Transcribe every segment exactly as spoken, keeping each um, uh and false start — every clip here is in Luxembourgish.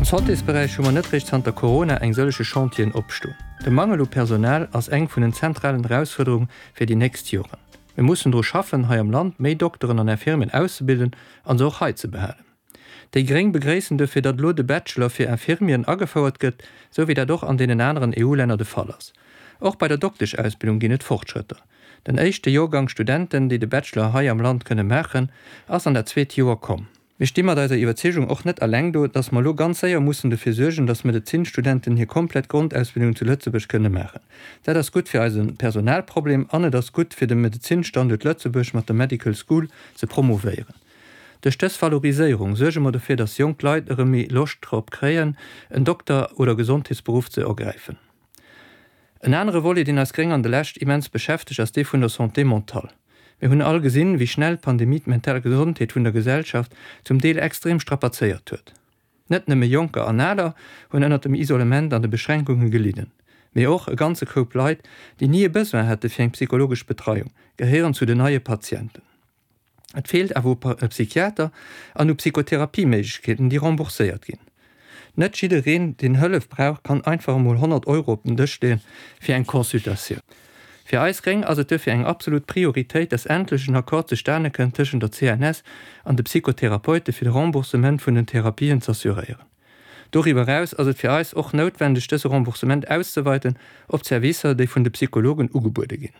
Santésberäich hu mer net réischt zanter Corona eng sëllege Chantieren opstoen. De Mangel u Personal ass eng vun den zentralen Erausfuerderunge fir déi nächst Joren. Mir mussen dru schaffen, hei am Land méi Dokteren an Infirmieren auszebilden an se och hei ze behalen. Déi Gréng begréissen dofir, datt elo de Bachelor fir Infirmieren agefouert gëtt, sou wéi dat och an deenen aneren EU-Länner de Fall ass. Och bei der Dokteschausbildung ginn et Fortschrëtter. Den éischte Joergang Studenten, déi de Bachelor hei am Land kënne maachen, ass an dat zweet Joer komm. Mir sti mat eiser Iwwerzeegung och net eleng do, datt mer elo ganz séier mussen dofir suergen, datt Medezinstudenten hir komplett Grondausbildung zu Lëtzebuerg kënne maachen. Dat ass gutt fir eise Personalproblem an et ass gutt fir de Medezinstanduert Lëtzebuerg mat der Medical School ze promovéieren. Duerch dës Valoriséierung suerge mer dofir, datt jonk Leit erëm méi Loscht drop kréien, en Dokter oder Gesondheetsberuff ze ergräifen. En anere Volet, deen eis Gréng an der Lescht immens beschäftegt, ass dee vun der Santé mentale. Mir hunn all gesinn, wéi schnell d'Pandemie d'mental Gesondheet vun der Gesellschaft zum Deel extrem strapazéiert huet. Net nëmme Jonker an Aler hunn ënnert dem Isolement an de Beschränkunge gelidden, mee och e ganze Koup Leit, déi ni e Besoin hätte fir eng psychologesch Betreiung, gehéieren zu den neie Patienten. Et feelt awer u Psychiater an u Psychotherapieméiglechkeeten, déi rembourséiert ginn. Net jiddereen, deen Hëllef brauch, kann einfach emol honnert Euro op den Dësch leeën fir eng Consultatioun. Fir eis Gréng ass et duerfir eng absolut Prioritéit, dass endlech en Accord zustane kënnt tëschent der C N S an de Psychotherapeute fir de Remboursement vun den Therapien z'assuréieren. Doriwwer eraus ass et fir eis och noutwendeg, dëse Remboursement auszeweiten op d'Servicer, déi vun de Psychologen ugebuede ginn.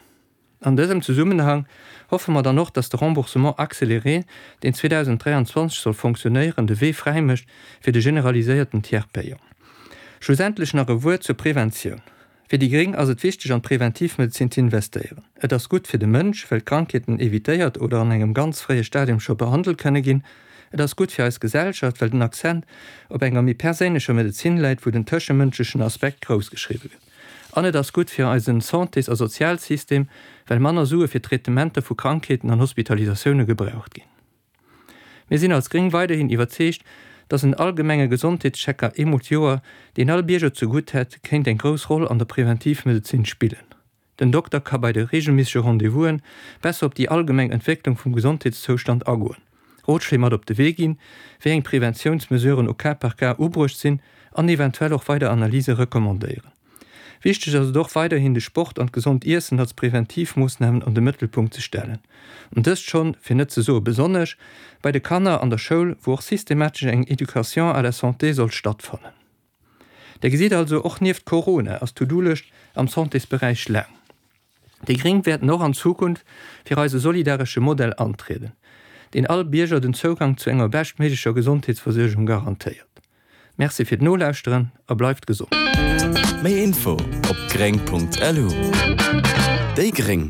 An dësem Zesummenhang hoffe mer dann och, dass de Remboursement accéléré, deen zweedausenddräianzwanzeg soll fonctionnéieren, de Wee fräi mécht fir de generaliséierten Tiers payant. Schlussendlech nach e Wuert zur Preventioun. Fir déi Gréng ass et wichteg, an d'Preventivmedezin ze investéieren. Et ass gutt fir de Mënsch, well Krankheeten evitéiert oder an engem ganz fréie Stadium scho behandelt kënne ginn. Et ass gutt fir eis Gesellschaft, well den Accent op enger méi perséinlecher Medezin läit, wou den tëschemënschlechen Aspekt groussgeschriwwe gëtt. An et ass gutt fir eisen Santés a Sozialsystem, well manner Sue fir Traitementer vu Krankheeten an Hospitalisatioune gebraucht ginn. Mir sinn als Gréng weiderhin iwwerzeegt, dass en allgemenge Gesondheetschecker eemol d'Joer, deen all Bierger zegutt hätt, kéint eng grouss Roll an der Preventivmedezin spillen. Den Dokter ka bei de reegelméissege Rendez-vousen besser op déi allgemeng Entwécklung vum Gesondheetszoustand agoen, Rotschléi mat op de Wee ginn, wéi eng Preventiounsmesuren au cas par cas ubruecht sinn an eventuell och weider Analyse recommandéieren. Wichteg ass et och weiderhin de Sport an d'gesond Iessen als Preventivmoossnamen an de Mëttelpunkt ze stellen. An dëst schonn, fir net ze soe besonnesch, bei de Kanner an der Schoul, wou och systematesch eng Éducation à la santé soll stattfannen. Der gesitt also, och nieft Corona ass d'To-do-Lëscht am Santésberäich laang. Déi Gréng wäerten och an Zukunft fir eise solidaresche Modell antrieden, deen all Bierger den Zougang zu enger beschtméiglecher Gesondheetsversuergung garantéiert. Merci fir d'Nolauschteren a bleift gesond. Méi Info op gréng Punkt lu. Déi gréng.